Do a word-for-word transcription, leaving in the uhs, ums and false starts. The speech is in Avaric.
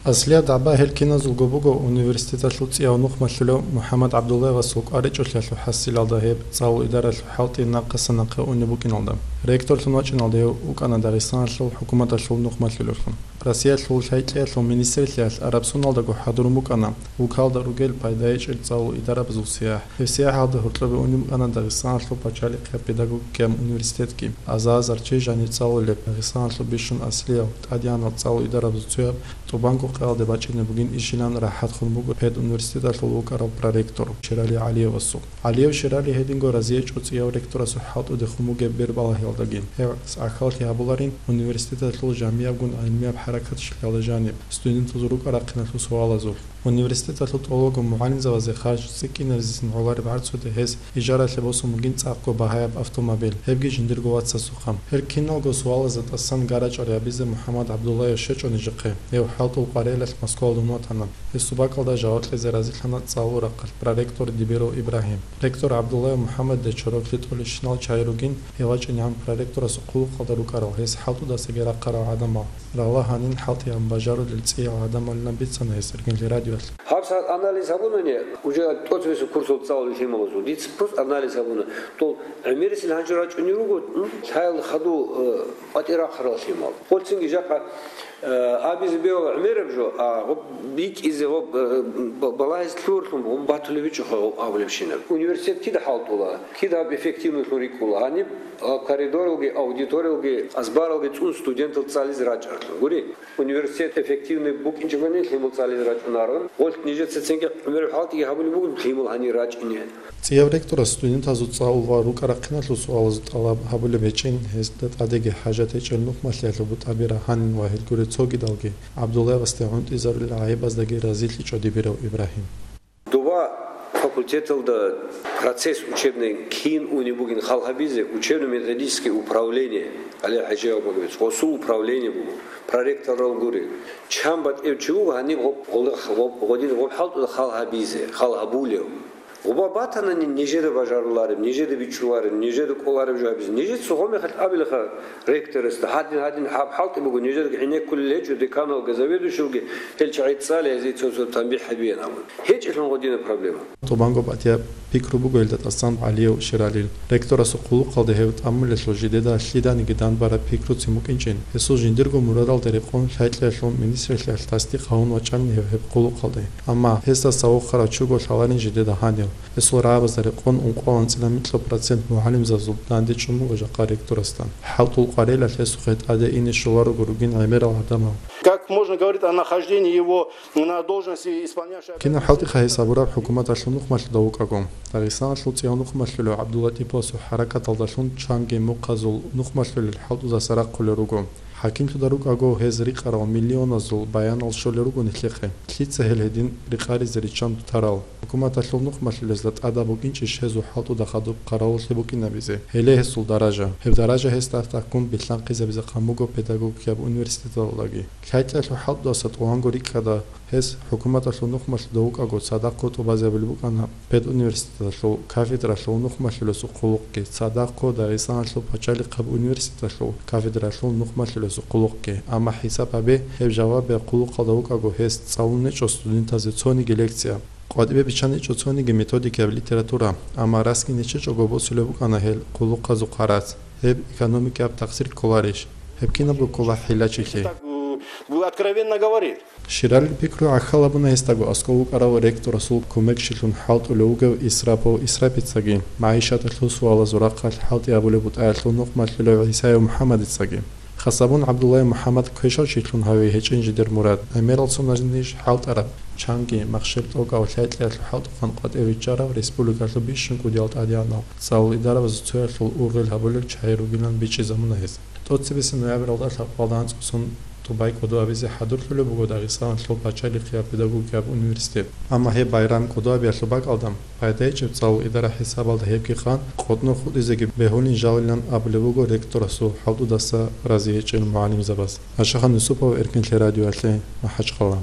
Аслияб дагӀба гьел киназулго буго университеталъул цӀияв нухмалъулев МухӀаммад ГӀабдуллаевасул кӀваричӀолъиялъул хӀасилалда гьеб цӀалул идаралъул хӀалтӀи нахъаса-нахъе унеб букӀиналда. Ректорлъун вачӀиналда гьев вукӀана Дагъистаналъул хӀукуматалъул нухмалъулевлъун. Россиялъул лъай-кьеялъул министрлъиялъ Арабсуналдаго хӀадурун букӀана вукалда ругел пайда гьечӀел цӀалул идарабазул сияхӀ. Гьеб сияхӀалда гьоркьобе унеб букӀана Дагъистаналъул пачалихъияб педагогикияб университетги, аза-азар чи жаниб цӀалулеб, Дагъистаналъул бищун аслияв, тӀадегӀанал цӀалул идарабазул цояб, ТӀубанго къаялде бачӀине бугин ишилан рахӀатхун буго педуниверситеталъул вукӀарав проректор Шерали ГӀалиевасул. ГӀалиев Шерали гьединго разиечӀо цӀияв ректорасул хӀалтӀудехун бугеб бербалагьиялдагин. Гьев гӀахьаллъи гьабуларин университеталъул жамиябгун гӀилмияб хӀаракаталъулъ жаниб, студентазул рукӀа-рахъиналъул суалазулъ. Университеталъул тӀолабго мугӀалимзабазе харж цӀикӀкӀинабизецин гӀолареб гӀарцуде гьес ижаралъе босун бугин цӀакъго багьаяб автомобиль, гьебги жиндирго вацасухъа. Гьел киналго суалазда тӀасан гарачӀал гьабизе МухӀаммад ГӀабдуллаев щвечӀо нижехъе. Гьев хӀалтӀул къварилъалъ Москвалде ун ватана. Гьесул бакӀалда жаваб кьезе разилъана цӀалул рахъалъ проректор Дибиров Ибрагьим. Ректор ГӀабдуллаев МухӀаммадида чороклъи тӀолищинал чагӀи ругин, гьев вачӀинегӀан проректорасул хъулухъалда рукӀарал, гьес хӀалтӀудасаги рахъарал гӀадамал. Рагъла гьанин хӀалтӀигӀан бажарулел цӀиял гӀадамалилан бицана гьес Эркинлъи радиоялъ. Гьаб сагӀат анализ гьабунани, уже тӀоцебесеб курсалъ цӀалулел лъималазул. Дица просто анализ гьабуна. Дол гӀемерисел гьанже рачӀунел руго, м, лъаялда хадув, э, къватӀир рахъарал лъимал. Гъолцинги жакъа, э, абизе бегьула гӀемераб жо, а гъоб битӀизе, гъоб, э, ба-, балагьизе лъугьарлъун гъоб батулеб гьечӀоха гъоб абулебщинаб. Университет кида хӀалтӀула, кида гьаб эффективнойлъун рикӀкӀула. Гьаниб, а, коридоралги, аудиториялги, азбаралги цӀун студентал цӀализе рачӀаралъун. Гури? Университет эффективный букӀинчӀогони, лъимал цӀализе рачӀунарун. Гъолъ нижеца цинги гӀемераб хӀалтӀиги гьабулеб бугеб лъимал гьанир рачӀине. ЦӀияв ректорас студентазул цӀалул ва рукӀа-рахъиналъул суалазул тӀалаб гьабулеб гьечӀин, гьезда тӀадеги хӀажат гьечӀел нухмалъиялъул бутӀаби рагьанин ва гьелгури цогидалги ГӀабдуллаевасде гӀунтӀизарулел гӀайибаздаги разилъичӀо Дибиров Ибрагьим. Доба факультеталда процесс учебный кин унеб бугин хал гьабизе, учебно-методический управление, гьале ХӀажи Абубакирович, гъосул управление буго, проректорал гури. Чан батӀев чи вуго гьаниб гъоб-, гъолда-, гъоб-, гъодин гъоб хӀалтӀуда хал гьабизе, хал гьабулев. Гъоба батанани нижеда бажарулареб, нижеда бичӀчӀулареб, нижеда кӀолареб жо гьабизе. Нижеца гъомехалъ абилаха, ректорасда, гьадин-гьадин гьаб хӀалтӀи буго, нижедаги гӀенеккулел гьечӀо, деканалги, заведующийги гьел чагӀи цӀализе цо-цо танбихӀ гьабеян абун. ГьечӀелъун гъодина проблема. ТӀубанго батӀияб пикру буго гьелда тӀасан ГӀалиев Шералил. Ректорасул хъулухъалда гьев тӀамулелъул жидеда лъиданиги данбараб пикруцин букӀинчӀин. Гьесул жиндирго мурадалда рекъон лъай-кьеялъул министрлъиялъ тасдикъ гьавун вачӀанин гьев гьеб хъулухъалде. Амма гьесда цавухъарав чуго лъаларин жидеда гьанив. Гьесул рагӀабазда рекъон ункъоялда анцӀила микьго процент мугӀалимзабазул данде чӀун буго жакъа ректорасда. ХӀалтӀул къварилъалъ гьесухъе тӀаде ине щоларого ругин гӀемерал гӀадамал. Как можно говорить о нахождении его на должности исполняющего Кинаб хӀалтӀиха гьес абураб хӀукуматалъул нухмалъуда вукӀаго. Дагъистаналъул цӀияв нухмалъулев ГӀабдуллатӀиповасул хӀаракаталдалъун чанги мухъазул нухмалъулел хӀалтӀудаса рахъулел руго. ХӀакимлъуда рукӀаго гьез рикъарал миллионазул баянал щолел руго нилъехъе. Лъица гьел гьедин рикъаризе риччан тарал? ХӀукуматалъул нухмалъулезда тӀадаб букӀинчӀищ гьезул хӀалтӀуда хадуб хъаравуллъи букӀинабизе? Гьеле гьесул даража. Гьеб даража гьесда тӀахьгун билълъанхъизабизе хъан буго педагогикияб университеталдаги. Лъайкьаялъул хӀалтӀудаса тӀуванго рикӀкӀада гьес хӀукуматалъул нухмалъуда вукӀаго цадахъго тӀубазабулеб букӀана педуниверситеталъул кафедралъул нухмалъулесул хъулухъги, цадахъго Дагъистаналъул пачалихъаб университеталъул кафедралъул нухмалъулесул хъулухъги. Амма хӀисаб гьабе, гьеб жавабияб хъулухъалда вукӀаго гьес цӀалун гьечӀо студентазе цониги лекция. КъватӀибе биччан гьечӀо цониги методикаяб литература, амма расги нечечӀого босулеб букӀана гьел хъулухъазул хъарац. Гьеб экономикаяб такъсир кколарищ? Гьеб кинабго ккола хӀилачилъи. Так, э, откровенно говорит. Шералил пикру гӀахьал гьабуна гьесдаго аскӀов вукӀарав ректорасул кумекчилъун хӀалтӀулев вугев Исрапов Исрапицаги, магӀишаталъул суалазул рахъалъ хӀалтӀи гьабулеб бутӀаялъул нухмалъулев ГӀисаев МухӀаммадицаги. Хасабун ГӀабдуллаев МухӀаммад квешав чилъун гьаве гьечӀин жидер мурад, гӀемерал соналъ ниж хӀалтӀараб, чанги махщел тӀокӀав лъай-кьеялъул хӀалтӀухъан къватӀив виччарав республикалъул бищун кӀудиял тӀадегӀанал цӀалул идарабазул цоялъул ургъел гьабулел чагӀи ругилан бичӀчӀизабуна гьес. ТӀоцебесеб ноябралда лъабкъоялда анцӀго сон тӀубай кӀодо абизе хӀадурлъулеб буго Дагъистаналъул пачалихъияб педагогикияб университет. Амма гьеб байрам кӀодо абиялъул бакӀалда, пайда гьечӀеб цӀалул идара хӀисабалда гьебги хъан къотӀнор хутӀизеги бегьулин жалилан абулеб буго ректорасул хӀалтӀудаса рази гьечӀел мугӀалимзабаз. Ашахан Юсупов, Эркинлъи радиоялъе, МахӀачхъала.